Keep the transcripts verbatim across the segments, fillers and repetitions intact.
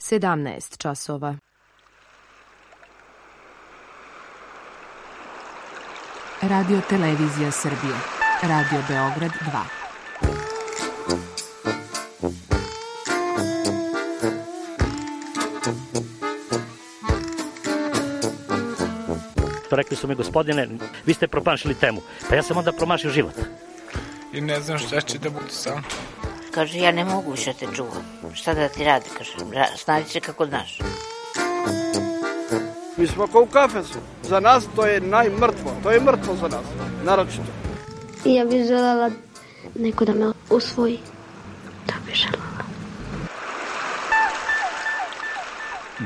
sedamnaest časova. Radio Televizija Srbije. Radio Beograd dva. Rekli su mi, gospodine, vi ste promašili temu. Pa ja sam onda promašio život. I ne znam šta će da bude sam. Kaže, ja ne mogu više te čuvam. Šta da ti radi, kaže, snađi se kako znaš. Mi smo kao u kafesu. Za nas to je najmrtvo. To je mrtvo za nas, naročito. Ja bih želela neko da me usvoji. To bih želela.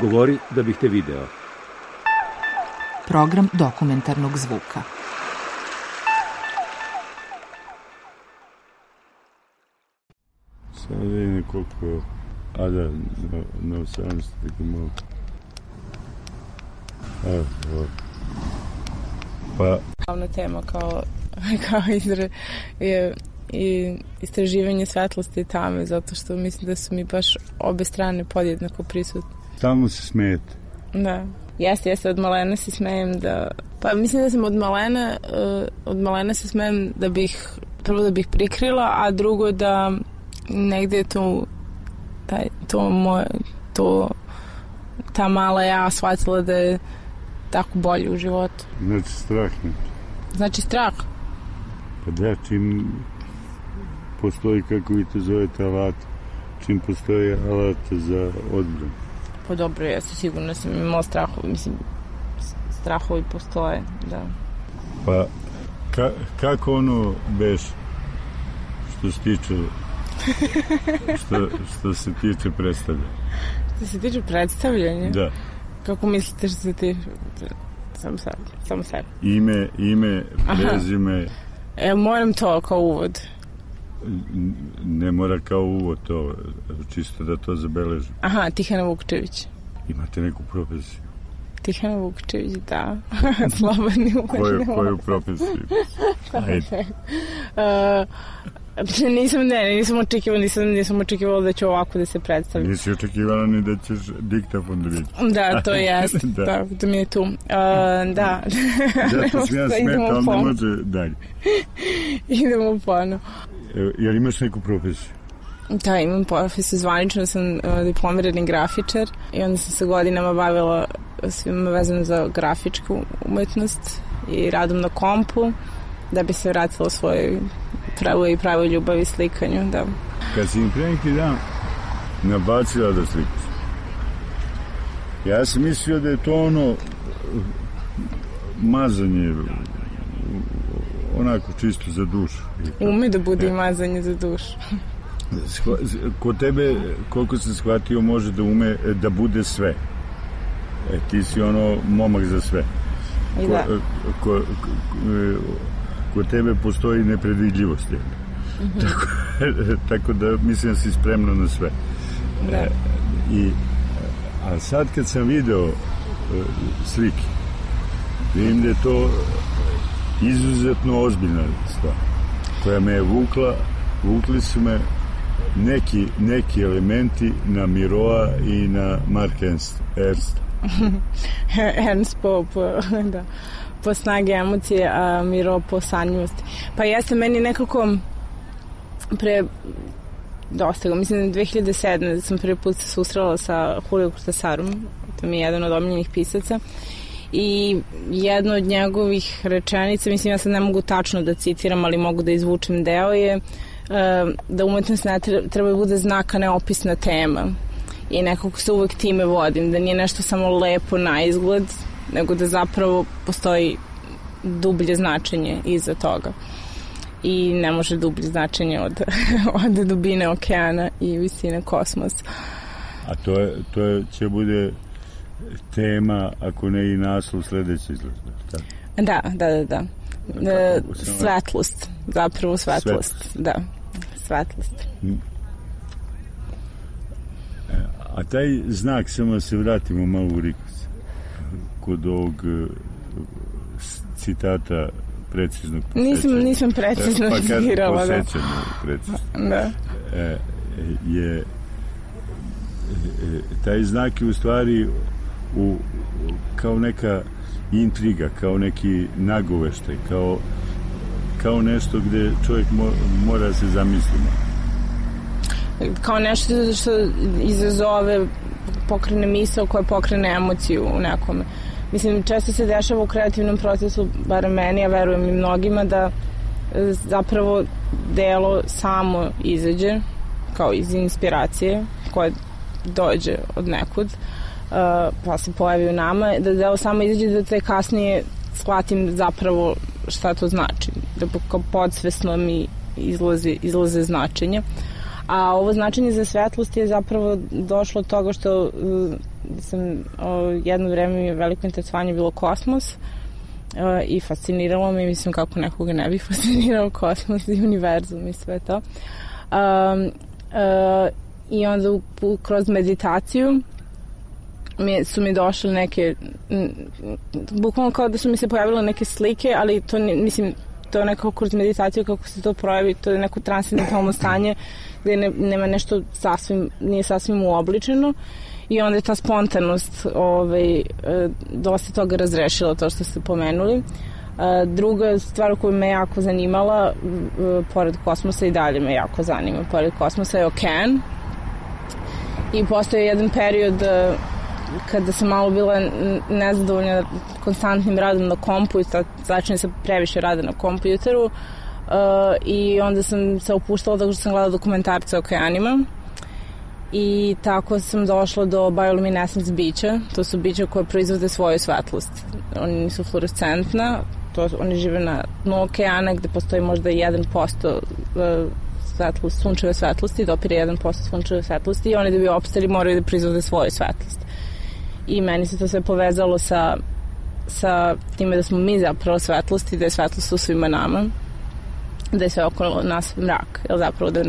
Govori da bih te video. Program dokumentarnog zvuka. Sada vidim koliko... A da, na, na osamnaest tako malo. Evo, evo. Pa... Glavna tema kao, kao izra, je i istraživanje svetlosti i tame, zato što mislim da su mi baš obe strane podjednako prisutne. Stalno se smijete. Da. Jeste, jeste, od malena se smejem da... Pa mislim da sam od malena, uh, od malena se smejem da bih, prvo da bih prikrila, a drugo da negde je to, taj, to moje, to, ta mala ja shvatila da je tako bolje u životu. Znači strah ne? Znači strah? Pa da, čim postoji, kako vi to zovete, alat, čim postoji alat za odbranu. Pa dobro, ja sam sigurno sam imala strahovi, mislim, strahovi postoje, da. Pa, ka, kako ono beš, što se tiče, što, što se tiče predstavljanja? Što se tiče predstavljanja? Da. Kako mislite što se tiče? Samo sad, samo sad. Ime, ime, prezime. E, moram to kao uvod. Ne mora kao uvod to, čisto da to zabeležim. Aha, Tihana Vukčević. Imate neku profesiju? Tihana Vukčević, da. Slobodni uvažni. Koju, koju profesiju? Ajde. Uh, nisam, ne, nisam očekivala, nisam, nisam očekivala da ću ovako da se predstavim. Nisi očekivala ni da ćeš diktafon da vidiš. Da, to jest. da. da, da mi je tu. Uh, da. Zato sam ja smeta, ali ne može dalje. Idemo pono. Jel imaš neku profesiju? Da, imam profesiju, zvanično sam uh, diplomirani grafičar i onda sam se godinama bavila svima vezano za grafičku umetnost i radom na kompu da bi se vratila svojoj pravoj i pravoj ljubavi slikanju, da. Kad si im pre neki dan nabacila da slikaš, ja sam mislio da je to ono mazanje onako čisto za dušu. Ume da bude i mazanje za dušu. Kod tebe, koliko sam shvatio, može da ume da bude sve. E, ti si ono momak za sve. I da. Ko, ko, ko, kod tebe postoji nepredvidljivost. Mm-hmm. Tako, tako da mislim da si spremna na sve. Da. E, i, a sad kad sam video e, slike, vidim da je to izuzetno ozbiljna stvar koja me je vukla, vukli su me neki, neki elementi na Miroa i na Marka Ernsta. Ernst po, po, da, po snage emocije, a Miro po sanjivosti. Pa jeste meni nekako pre dosta, mislim da dve hiljade sedme sam prvi put se susrela sa Julio Cortasarom, to mi je jedan od omiljenih pisaca, i jedna od njegovih rečenica, mislim ja sad ne mogu tačno da citiram, ali mogu da izvučem deo, je da umetnost ne treba, treba da bude znak, a ne opisna tema. I nekako se uvek time vodim, da nije nešto samo lepo na izgled, nego da zapravo postoji dublje značenje iza toga. I ne može dublje značenje od, od dubine okeana i visine kosmosa. A to, je, to je, će bude tema, ako ne i naslov sledeće izgleda. Tako? Da, da, da, da. E, svetlost, zapravo svetlost. svetlost. Da, svetlost. A taj znak, samo se vratimo malo u Rikos, kod ovog citata preciznog posećanja. Nisam, nisam precizno pa citirala. Pa kažem posećanje precizno. Da. E, je taj znak je u stvari u, kao neka intriga, kao neki nagoveštaj, kao, kao nešto gde čovjek mo, mora se zamisliti. Kao nešto što izazove, pokrene misao koja pokrene emociju u nekome. Mislim, često se dešava u kreativnom procesu, barem meni, a verujem i mnogima, da zapravo delo samo izađe, kao iz inspiracije koja dođe od nekud, pa se pojavi u nama, da delo samo izađe, da te kasnije shvatim zapravo šta to znači, da kao podsvesno mi izlaze, izlaze značenje. A ovo značenje za svetlost je zapravo došlo od toga što uh, sam uh, jedno vreme mi je veliko interesovanje bilo kosmos uh, i fasciniralo me, mislim kako nekoga ne bi fascinirao kosmos i univerzum i sve to. Um, uh, I onda u, kroz meditaciju mi, su mi došle neke, m, bukvalno kao da su mi se pojavile neke slike, ali to mislim, to je nekako kroz meditaciju kako se to projavi, to je neko transcendentalno stanje gde ne, nema nešto sasvim, nije sasvim uobličeno i onda je ta spontanost ovaj, dosta toga razrešila, to što ste pomenuli. Druga stvar koju me jako zanimala, pored kosmosa i dalje me jako zanima, pored kosmosa je okean. I postoje jedan period kada sam malo bila nezadovoljna konstantnim radom na kompjuteru, začinje se previše rada na kompjuteru, uh, i onda sam se opuštala tako što sam gledala dokumentarce o okeanima i tako sam došla do bioluminescence bića. To su bića koje proizvode svoju svetlost. Oni nisu fluorescentna, to, oni žive na dnu okeana gde postoji možda jedan posto svetlost, sunčeve svetlosti, dopire jedan posto sunčeve svetlosti i oni da bi opstali moraju da proizvode svoju svetlost. I meni se to sve povezalo sa, sa time da smo mi zapravo svetlosti, da je svetlost u svima nama, da je sve okolo nas mrak, jer zapravo da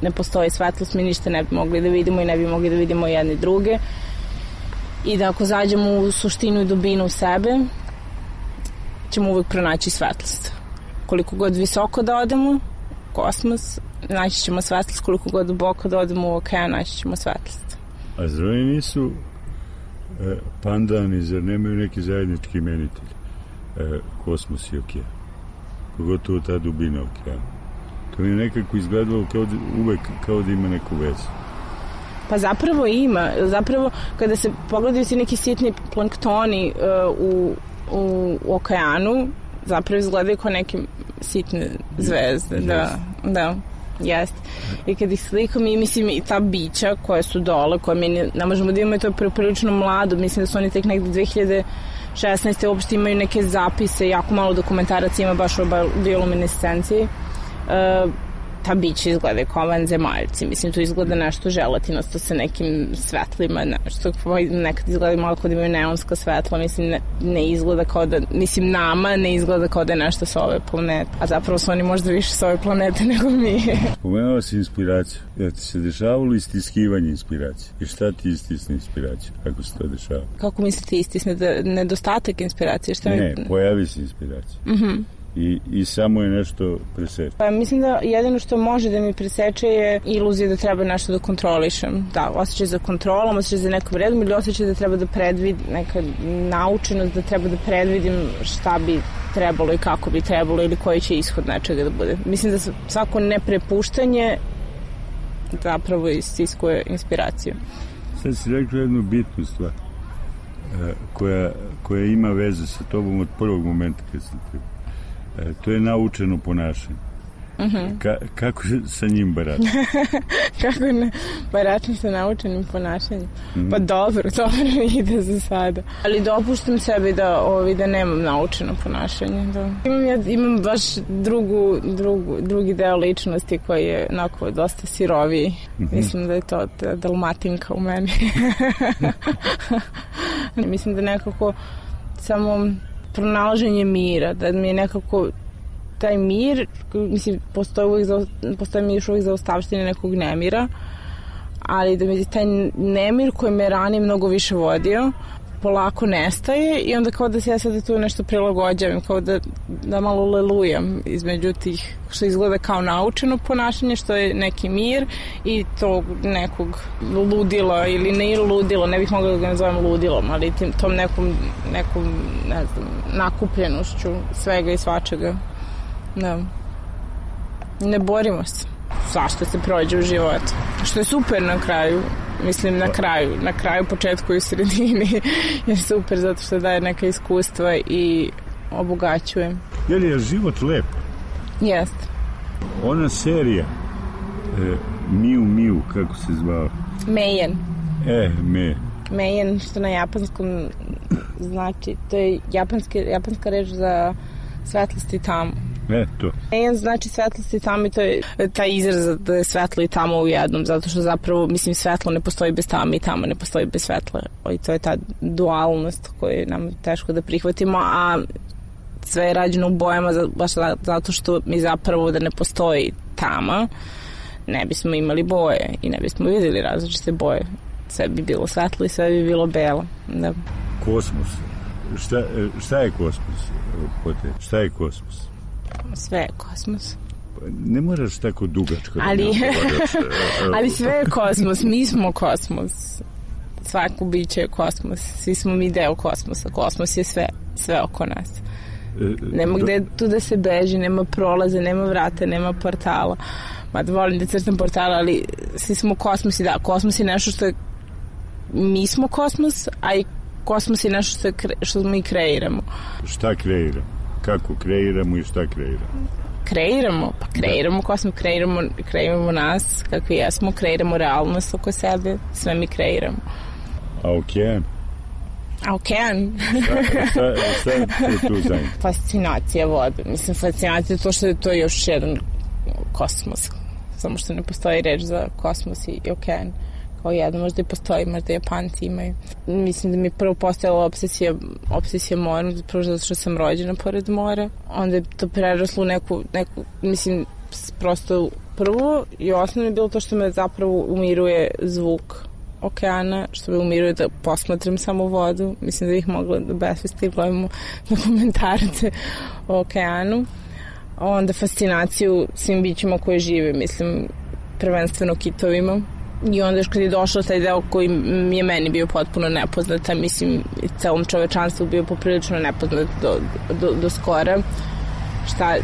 ne postoji svetlost mi ništa ne bi mogli da vidimo i ne bi mogli da vidimo jedni druge i da ako zađemo u suštinu i dubinu sebe ćemo uvek pronaći svetlost. Koliko god visoko da odemo, kosmos, naći ćemo svetlost, koliko god duboko da odemo u okean, naći ćemo svetlost. A zar oni nisu e, pandani, zar nemaju neki zajednički imenitelj? E, kosmos i okean. Pogotovo ta dubina okeana. To mi je nekako izgledalo kao da, uvek kao da ima neku vezu. Pa zapravo ima. Zapravo, kada se pogledaju si neki sitni planktoni uh, u, u, u okeanu, zapravo izgledaju kao neke sitne zvezde. Yes. Da, da, jest. I kad ih slikam i mislim i ta bića koja su dole, koje mi ne, ne možemo da imamo, i to je prilično mlado, mislim da su oni tek nekde dve hiljade šesnaeste uopšte imaju neke zapise, jako malo dokumentaraca ima baš o bioluminescenciji. Uh, ta bića izgleda kao vanzemaljci, mislim to izgleda nešto želatinasto sa nekim svetlima, nešto nekad izgleda malo kao da imaju neonska svetla, mislim ne, ne izgleda kao da, mislim nama ne izgleda kao da je nešto sa ove planete, a zapravo su oni možda više sa ove planete nego mi. Spomenula si inspiraciju, ja ti se dešavalo istiskivanje inspiracije i šta ti istisne inspiraciju, kako se to dešava? Kako mislite istisne, da nedostatak inspiracije? Šta ne, mi... pojavi se inspiracija. Mhm. I, i samo je nešto preseče. Pa mislim da jedino što može da mi preseče je iluzija da treba nešto da kontrolišem. Da, osjećaj za kontrolom, osjećaj za nekom redom ili osjećaj da treba da predvidim, neka naučenost da treba da predvidim šta bi trebalo i kako bi trebalo ili koji će ishod nečega da bude. Mislim da svako neprepuštanje zapravo istiskuje inspiraciju. Sad si rekla jednu bitnu stvar koja, koja ima veze sa tobom od prvog momenta kad sam te... E, to je naučeno ponašanje. Uh-huh. Ka, kako sa njim baračam? Kako ne baračam sa naučenim ponašanjem? Uh-huh. Pa dobro, dobro ide za sada. Ali dopuštam sebi da, ovi, da nemam naučeno ponašanje. Da. Imam, ja, imam baš drugu, drugu, drugi deo ličnosti koji je onako dosta siroviji. Uh-huh. Mislim da je to da, dalmatinka u meni. Mislim da nekako samo pronalaženje mira, da mi je nekako taj mir, mislim, postoji, uvijek za, postoji mi još uvijek zaostavštine nekog nemira, ali da mi je taj nemir koji me ranije mnogo više vodio, polako nestaje i onda kao da se ja sada tu nešto prilagođavam, kao da, da malo lelujam između tih što izgleda kao naučeno ponašanje, što je neki mir i tog nekog ludila ili ne ludilo, ne bih mogla da ga nazovem ludilom, ali tim, tom nekom, nekom ne znam, nakupljenošću svega i svačega. Da. Ne borimo se. Svašta se prođe u životu. Što je super na kraju. Mislim na kraju. Na kraju, početku i u sredini je super zato što daje neka iskustva i obogaćuje. Je li je život lep? Jeste. Ona serija e, Miu Miu, kako se zvao? Meijen. E, me. Meijen, što na japanskom znači, to je japanski, japanska reč za svetlost i tamu. E, to. Meijen znači svetlost i tamo i to je taj izraz da je svetlo i tamo u jednom, zato što zapravo, mislim, svetlo ne postoji bez tame i tamo ne postoji bez svetla. I to je ta dualnost koju je nam teško da prihvatimo, a sve je rađeno u bojama baš zato što mi zapravo da ne postoji tama, ne bismo imali boje i ne bismo vidjeli različite boje. Sve bi bilo svetlo i sve bi bilo belo. Da. Kosmos. Šta, šta je kosmos? Pote? Šta je kosmos? Sve je kosmos. Ne moraš tako dugačko. Ali, ali sve je kosmos. Mi smo kosmos. Svako biće je kosmos. Svi smo mi deo kosmosa. Kosmos je sve. Sve oko nas. Nema gde tu da se beži, nema prolaze, nema vrata, nema portala. Mada volim da crtam portala, ali svi smo kosmos i da, kosmos je nešto što je, mi smo kosmos, a i kosmos je nešto što, je, što mi kreiramo. Šta kreiramo? Kako kreiramo i šta kreiramo? Kreiramo, pa kreiramo kosmos, kreiramo, kreiramo nas kakvi jesmo, kreiramo realnost oko sebe, sve mi kreiramo. A okean? A okean? šta, šta, šta je tu zajedno? Fascinacija vode. Mislim, fascinacija je to što je to još jedan kosmos. Samo što ne postoji reč za kosmos i okean. Kao jedan, možda i postoji, možda Japanci imaju. Mislim da mi prvo postojala obsesija, obsesija morom, prvo zato što sam rođena pored mora. Onda je to preraslo u neku, neku, mislim, prosto prvo i osnovno je bilo to što me zapravo umiruje zvuk okeana, što me umiruje da posmatram samo vodu. Mislim da bih mogla da besvesti i gledamo dokumentarce o okeanu. Onda fascinaciju svim bićima koje žive, mislim, prvenstveno kitovima. I onda još kad je došao taj deo koji je meni bio potpuno nepoznat, a mislim i celom čovečanstvu bio poprilično nepoznat do, do, do skora, šta,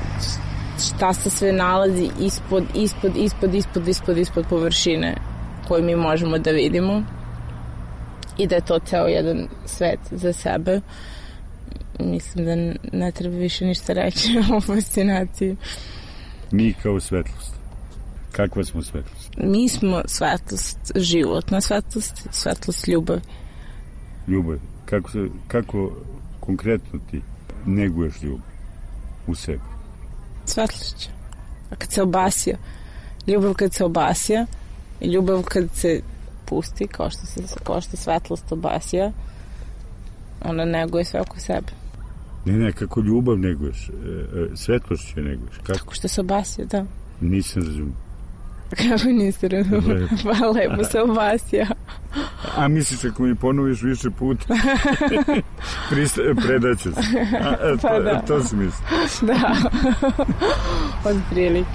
šta se sve nalazi ispod, ispod, ispod, ispod, ispod, ispod površine koju mi možemo da vidimo i da je to ceo jedan svet za sebe. Mislim da ne treba više ništa reći o fascinaciji. Mi kao svetlost. Kakva smo svetlost? Mi smo svetlost, životna svetlost, svetlost ljubavi. Ljubav. Kako, se, kako konkretno ti neguješ ljubav u sebi? Svetlošću. A kad se obasija, ljubav kad se obasija i ljubav kad se pusti, kao što, se, kao što svetlost obasija, ona neguje sve oko sebe. Ne, ne, kako ljubav neguješ, svetlošću neguješ. Kako? Kako što se obasija, da. Nisam razumio. Kako niste razumio? Pa lepo se obasija. A misliš ako mi ponoviš više puta, predaće se. A, a, pa to, da. To si misli. Da. Od prilike.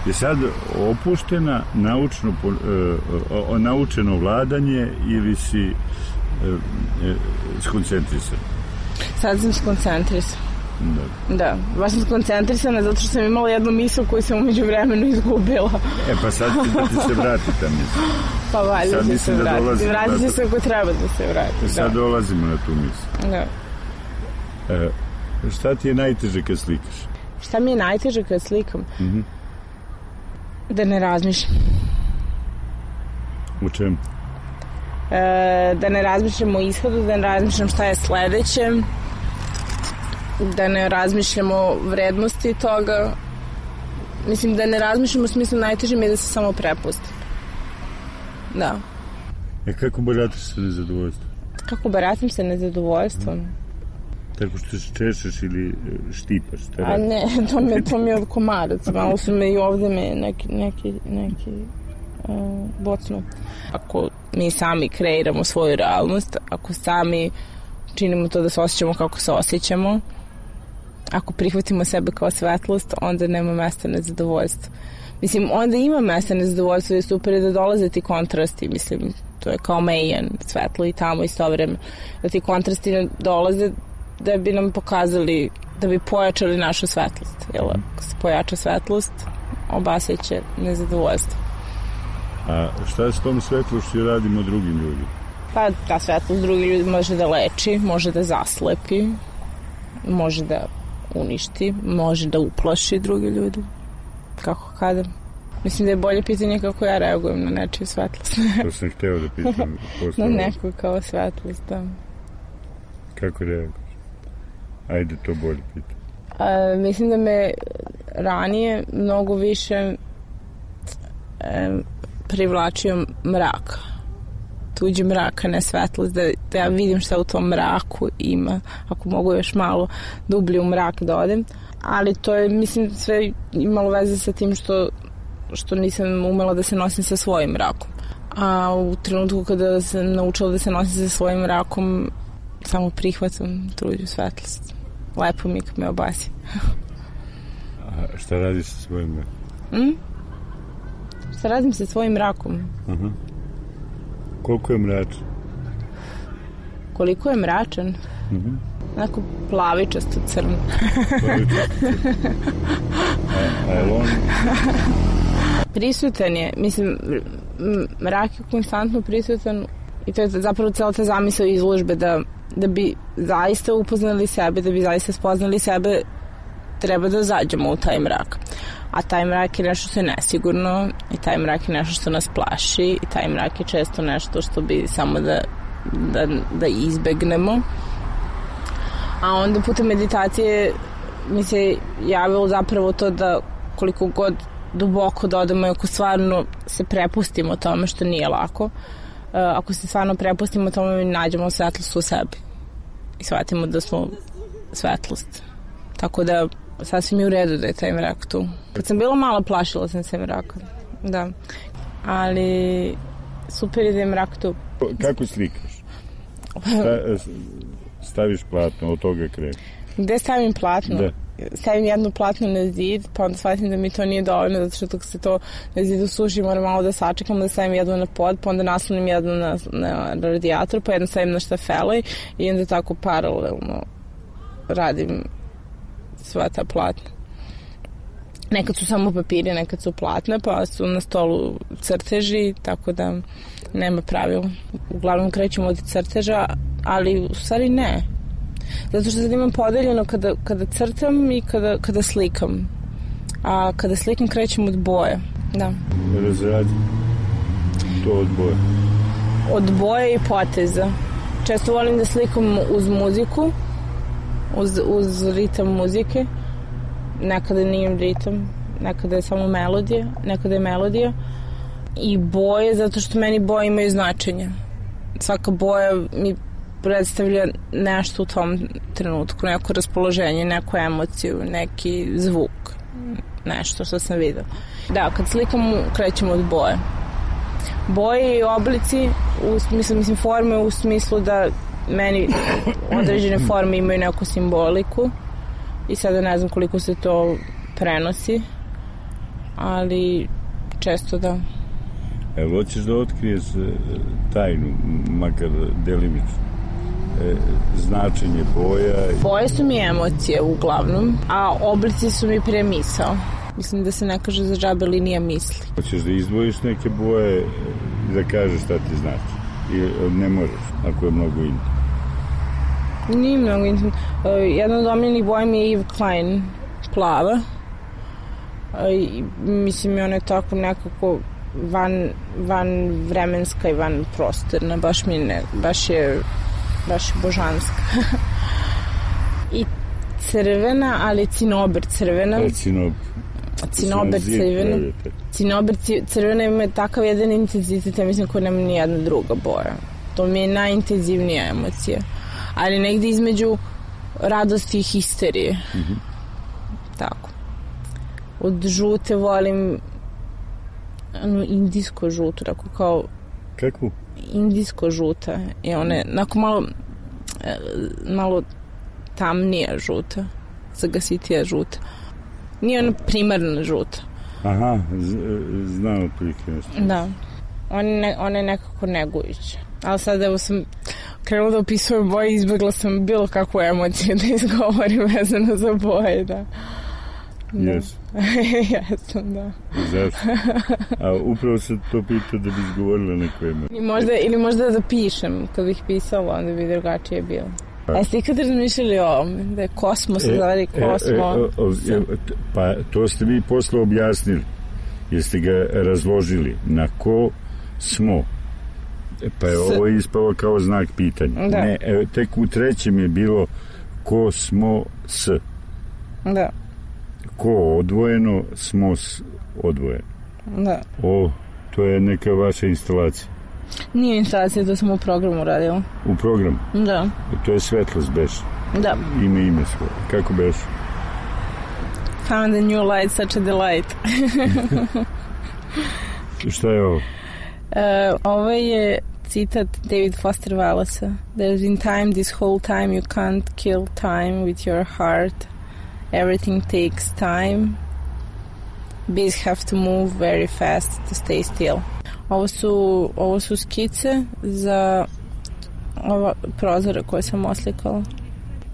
Je sad opuštena naučno, uh, naučeno vladanje ili si uh, uh, skoncentrisan? Sad sam skoncentrisan. Da. Da, baš sam skoncentrisana zato što sam imala jednu misl koju sam umeđu vremenu izgubila. E pa sad ti da ti se vrati ta misl. Pa valjda će se vrati. Vrati će se ako treba da se vrati. Sad da. dolazimo na tu misl. Da. E, šta ti je najteže kad slikaš? Šta mi je najteže kad slikam? Mm-hmm. Da ne razmišljam. U čemu? E, da ne razmišljam o ishodu, da ne razmišljam šta je sledeće, da ne razmišljam o vrednosti toga. Mislim, da ne razmišljam u smislu najteže mi je da se samo prepustim. Da. E kako barataš sa nezadovoljstvom? Kako baratim sa nezadovoljstvom? Tako što se češeš ili štipaš? A ne, to mi, to mi je od komaraca. Malo su me i ovde me neki, neki, neki uh, bocnu. Ako mi sami kreiramo svoju realnost, ako sami činimo to da se osjećamo kako se osjećamo. Ako prihvatimo sebe kao svetlost, onda nema mesta nezadovoljstva. Mislim, onda ima mesta nezadovoljstva i super je da dolaze ti kontrasti, mislim, to je kao mejan, svetlo i tamo isto vreme. Da ti kontrasti dolaze da bi nam pokazali, da bi pojačali našu svetlost. Jel, ako se pojača svetlost, obasjeće nezadovoljstvo. A šta s tom svetlošću radimo drugim ljudima? Pa ta svetlost drugim ljudima može da leči, može da zaslepi, može da uništi, može da uplaši druge ljude. Kako kada? Mislim da je bolje pitanje kako ja reagujem na nečiju svetlost. To sam hteo da pitam. Na neku kao svetlost, da. Kako reaguješ? Ajde, to bolje pitam. A, mislim da me ranije mnogo više e, privlačio mrak. Tuđi mrak, a ne svetlost. Da, da ja vidim šta u tom mraku ima. Ako mogu još malo dublje u mrak da odem. Ali to je, mislim, sve imalo veze sa tim što, što nisam umela da se nosim sa svojim mrakom. A u trenutku kada sam naučila da se nosim sa svojim mrakom, samo prihvatam tuđu svetlost. Lepo mi kad me obasi. A šta radiš sa svojim mrakom? Mm? Šta radim sa svojim mrakom? Aha. Koliko je mračan? Koliko je mračan? Mhm. Onako plavičasto crno. Plavičasto crno. A, a je on? Prisutan je, mislim, mrak je konstantno prisutan i to je zapravo cela ta zamisao izložbe da, da bi zaista upoznali sebe, da bi zaista spoznali sebe, treba da zađemo u taj mrak. A taj mrak je nešto što je nesigurno i taj mrak je nešto što nas plaši i taj mrak je često nešto što bi samo da, da, da izbegnemo. A onda putem meditacije mi se javilo zapravo to da koliko god duboko da odemo i ako stvarno se prepustimo tome što nije lako, ako se stvarno prepustimo tome mi nađemo svetlost u sebi i shvatimo da smo svetlost. Tako da sasvim je u redu da je taj mrak tu. Kad sam bila mala plašila sam se mraka. Da. Ali super je da je mrak tu. Kako slikaš? Sta, staviš platno, od toga kreš. Gde stavim platno? Da. Stavim jedno platno na zid, pa onda shvatim da mi to nije dovoljno, zato što dok se to na zidu suši moram malo da sačekam, da stavim jedno na pod, pa onda naslonim jedno na, na radijator, pa jedno stavim na štafele i onda tako paralelno radim sva ta platna. Nekad su samo papiri, nekad su platna, pa su na stolu crteži, tako da nema pravila. Uglavnom krećemo od crteža, ali u stvari ne. Zato što sad imam podeljeno kada, kada crtam i kada, kada slikam. A kada slikam krećem od boje. Da. Razradi to od boje. Od boje i poteza. Često volim da slikam uz muziku, uz, uz ritam muzike. Nekada nije ritam, nekada je samo melodija, nekada je melodija. I boje, zato što meni boje imaju značenje. Svaka boja mi predstavlja nešto u tom trenutku, neko raspoloženje, neku emociju, neki zvuk, nešto što sam videla. Da, kad slikam, krećemo od boje. Boje i oblici, u, mislim, mislim forme u smislu da meni određene forme imaju neku simboliku i sada ne znam koliko se to prenosi, ali često da. Evo, hoćeš da otkriješ tajnu, makar delimično? E, značenje boja. Boje su mi emocije uglavnom, a oblici su mi premisao. Mislim da se ne kaže za džabe linija misli. Hoćeš da izdvojiš neke boje i da kažeš šta ti znači? I ne možeš, ako je mnogo intimno. Nije mnogo intimno. Jedna od omiljenih boja mi je Yves Klein, plava. I, mislim, ona je tako nekako van, van vremenska i van prostorna. Baš mi ne, baš je baš je božanska. I crvena, ali cinober crvena. E, cinober. Cinober crvena. Cinober crvena ima takav jedan intenzitet, ja mislim, koji nema ni jedna druga boja. To mi je najintenzivnija emocija. Ali negde između radosti i histerije. Mm-hmm. Tako. Od žute volim ano, indijsko žuto, tako kao... Kakvu? Indijsko žuta. I one, onako malo e, malo tamnija žuta, zagasitija žuta. Nije ono primarna žuta. Aha, z, znam otprilike nešto. Da. On je, ne, on je nekako negujuća. Ali sad evo sam krenula da opisujem boje i izbjegla sam bilo kakvu emociju da izgovorim vezano za boje, da. Jesu. Jesam, da. Zašto? A upravo sam to pitao da bi izgovorila neku emociju. Ili možda, ili možda da pišem, kad bih pisala, onda bi drugačije bilo. A ste ikad razmišljali o ovome, da je kosmos, e, zavadi kosmo? E, e, o, o, pa to ste vi posle objasnili, jer ste ga razložili na ko smo. Pa je S... ovo ispalo kao znak pitanja. Da. Ne, e, tek u trećem je bilo ko smo s. Da. Ko odvojeno, smo s odvojeno. Da. O, to je neka vaša instalacija. Nije instalacija, to sam u programu radila. U programu? Da. To je svetlost beš. Da. Ime ime svoje. Kako beš? Found a new light, such a delight. Šta je ovo? Uh, ovo je citat David Foster Wallace. There's in time, this whole time you can't kill time with your heart. Everything takes time. Bees have to move very fast to stay still. Ovo su, ovo su skice za ova prozore koje sam oslikala.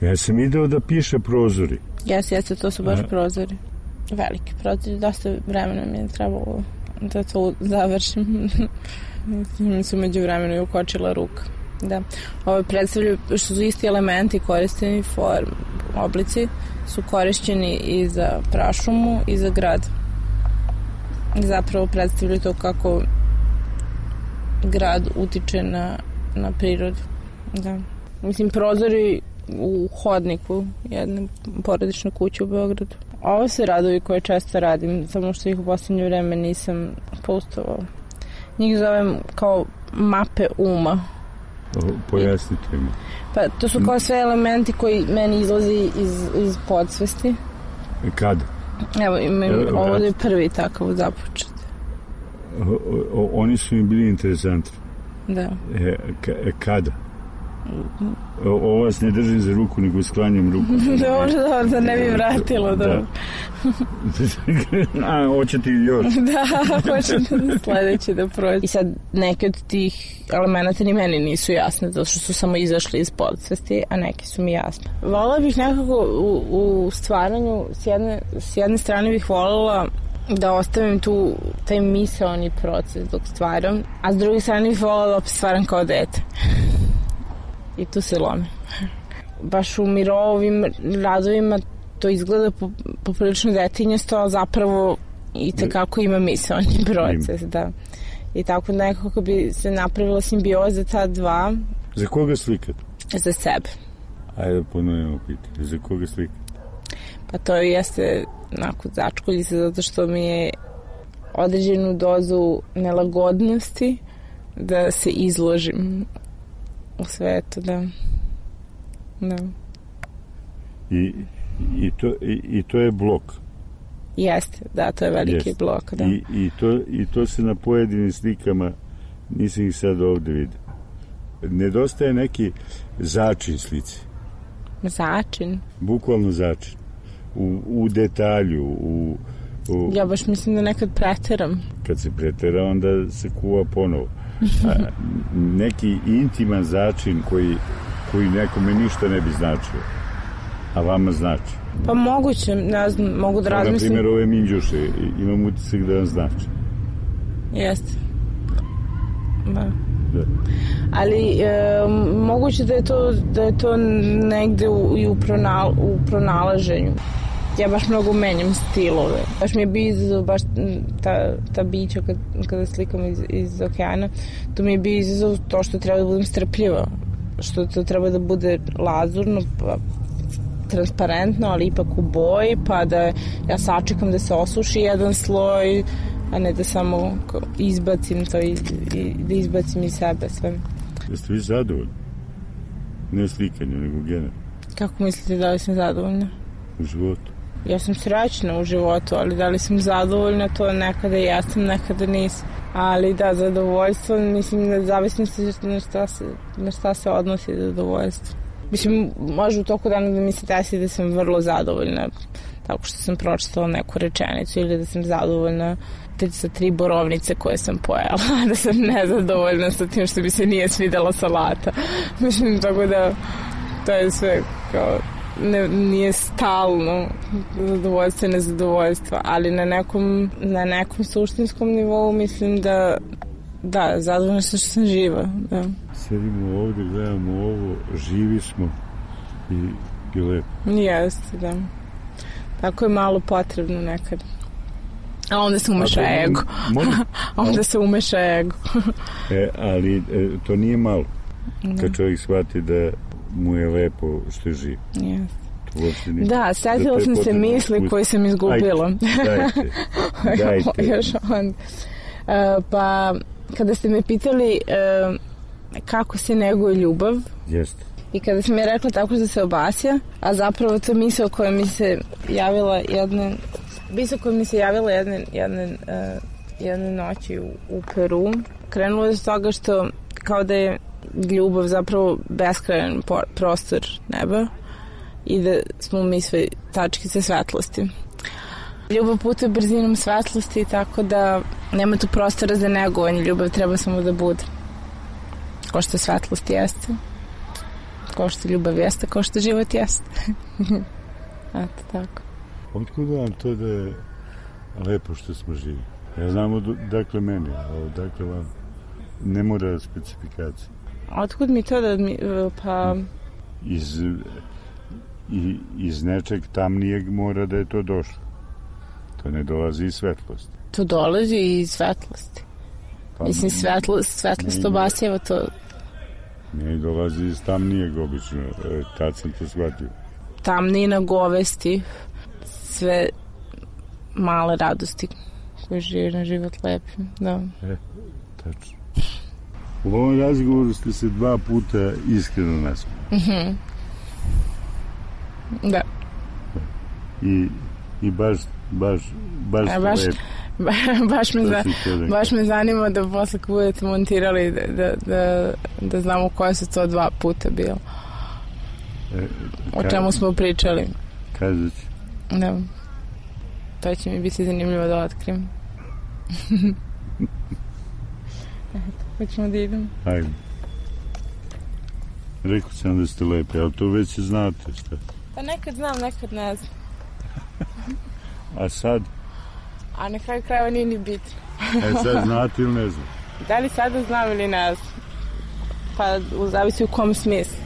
Ja sam ideo da piše prozori. Jes, jeste, to su baš A... prozori. Veliki prozori, dosta vremena mi je trebalo da to završim. Mi su među vremenu i ukočila ruka. Da. Ovo predstavljaju, što su isti elementi korišteni, form, oblici, su korišćeni i za prašumu i za grad. Zapravo predstavljaju to kako grad utiče na, na prirodu. Da. Mislim, prozori u hodniku jedne porodične kuće u Beogradu. Ovo su radovi koje često radim, samo što ih u posljednje vreme nisam postovala. Njih zovem kao mape uma. Pojasnite mi. Pa to su kao sve elementi koji meni izlazi iz, iz podsvesti. Kada? Evo, imam, ovo je prvi takav započet. O, o, oni su mi bili interesantni. Da. E, ka, kada? O, ovo vas ne držim za ruku, nego sklanjam ruku. Dobro, dobro, da ne bi vratilo. Da. A, hoćete još? Da, hoćete sledeće da prođe. I sad, neke od tih elementa ni meni nisu jasne, zato što su samo izašli iz podsvesti, a neki su mi jasne. Volila bih nekako u, u stvaranju, s jedne, s jedne strane bih voljela da ostavim tu taj misaoni proces dok stvaram, a s druge strane bih voljela da opet stvaram kao dete. I tu se lome. Baš u Mirovim radovima to izgleda poprilično detinjasto, a zapravo i tekako ima misaoni proces. Da. I tako nekako bi se napravila simbioza ta dva. Za koga slikate? Za sebe. Ajde ponovimo pitanje. Za koga slikate? Pa to jeste onako začkulji se zato što mi je određenu dozu nelagodnosti da se izložim u svetu, da. Da. I, i, to, i, i to je blok. Jeste, da, to je veliki Jeste. blok, da. I, i, to, I to se na pojedinim slikama, nisam ih sad ovde vidio. Nedostaje neki začin slici. Začin? Bukvalno začin. U, u detalju, u, u... Ja baš mislim da nekad preteram. Kad se pretera, onda se kuva ponovo. A, neki intiman začin koji, koji nekome ništa ne bi značio, a vama znači. Pa moguće, ne znam, mogu da razmislim. Na primjer, ove minđuše, imam utisak da vam znači. Jeste. Da. Da. Ali e, moguće da je to, da je to negde u, i u, pronal, u pronalaženju. Ja baš mnogo menjam stilove. Baš mi je bio izazov, baš ta, ta bića kad, kada slikam iz, iz okeana, to mi je bio izazov to što treba da budem strpljiva, što to treba da bude lazurno, pa, transparentno, ali ipak u boji, pa da ja sačekam da se osuši jedan sloj, a ne da samo izbacim to i, i da izbacim iz sebe sve. Jeste vi zadovoljni? Ne slikanju, nego generalno. Kako mislite da li sam zadovoljna? U životu? Ja sam srećna u životu, ali da li sam zadovoljna, to nekada jesam, nekada nisam. Ali da, zadovoljstvo, mislim da zavisno se na šta se, na šta se odnosi zadovoljstvo. Mislim, može u toku dana da mi se desi da sam vrlo zadovoljna tako što sam pročitala neku rečenicu ili da sam zadovoljna sa tri borovnice koje sam pojela, da sam nezadovoljna sa tim što bi se nije svidela salata. Mislim, tako da to je sve kao ne, nije stalno zadovoljstvo i nezadovoljstvo, ali na nekom, na nekom suštinskom nivou mislim da da, zadovoljna sam što sam živa. Da. Sedimo ovde, gledamo ovo, živi smo i, i lepo. Jeste, da. Tako je malo potrebno nekad. A onda se umeša A ego. A onda se umeša ego. e, ali e, to nije malo. Da. Kad čovjek shvati da mu je lepo što je živ. Yes. Da, setila sam se misli koje sam izgubila. Ajde, dajte. dajte. Još onda. Uh, pa, kada ste me pitali uh, kako se neguje ljubav, jeste. I kada sam je rekla tako što se obasja, a zapravo to misao koja mi se javila jedne, misao koja mi se javila jedne, jedne, uh, jedne noći u, u Peru, krenulo je s toga što kao da je ljubav zapravo beskrajan prostor neba i da smo mi sve tačkice svetlosti. Ljubav putuje brzinom svetlosti, tako da nema tu prostora za negovanje. Ljubav treba samo da bude. Ko što svetlost jeste, ko što ljubav jeste, ko što život jeste. Eto, tako. Otkud vam to da je lepo što smo živi? Ja znam odakle meni, a odakle vam ne mora specifikacija. Otkud mi to da mi, pa... Iz, i, iz nečeg tamnijeg mora da je to došlo. To ne dolazi iz svetlosti. To dolazi iz svetlosti. Pa, mislim, svetlost, svetlost obasjeva to. Ne dolazi iz tamnijeg obično. E, tad sam to shvatio. Tamnina, govesti, sve male radosti koje žive na život lepim. Da. E, tačno. U ovom razgovoru ste se dva puta iskreno nasmijali. Mhm. Da. I, i baš baš baš A, baš, ba, baš, me za, baš me zanima da posle kad budete montirali da, da, da, da znamo koje su to dva puta bilo. E, o čemu smo pričali. Kazat ću. Da. To će mi biti zanimljivo da otkrim. Eto, hoćemo da idemo. Ajde. Rekao sam da ste lepi, ali to već znate šta. Pa nekad znam, nekad ne znam. A sad? A na kraju krajeva nije ni bitno. E sad znate ili ne znam? Da li sada znam ili ne znam? Pa zavisi u kom smislu.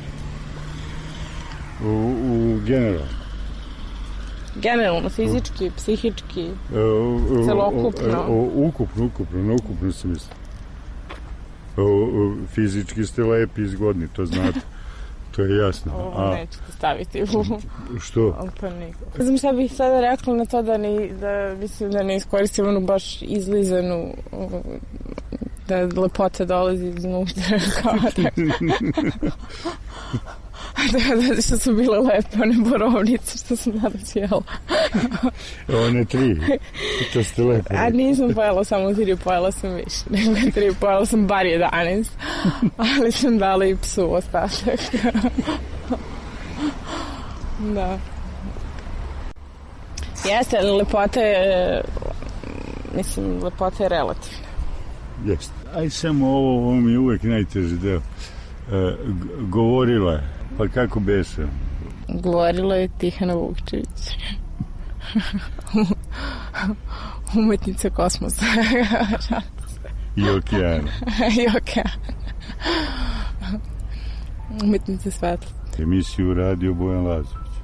U, u generalno. Generalno, fizički, psihički, e, u, u, celokupno. U, u, ukupno, ukupno, na ukupno se misli. U, u, fizički ste lepi i zgodni, to znate. To je jasno. Ovo A, nećete staviti u... Što? Ne znam šta bih sada rekla na to da ne, da, mislim, da ne iskoristim onu baš izlizanu, da lepota dolazi iznutra. Kao tako. Da, da, što su bile lepe, one borovnice što sam danas jela. One tri, to ste lepe. A nisam pojela samo tri, pojela sam više. Nego tri, pojela sam bar jedanaest, ali sam dala i psu ostatak. Da. Jeste, lepota je, mislim, lepota je relativna. Jeste. Aj samo ovo, ovo mi je uvek najteži deo. E, govorila je, pa kako beše? Govorila je Tihana Vukčević. Umetnica kosmosa. I okeana. I okeana. Umetnica svetla. Emisiju radio Bojan Lazović.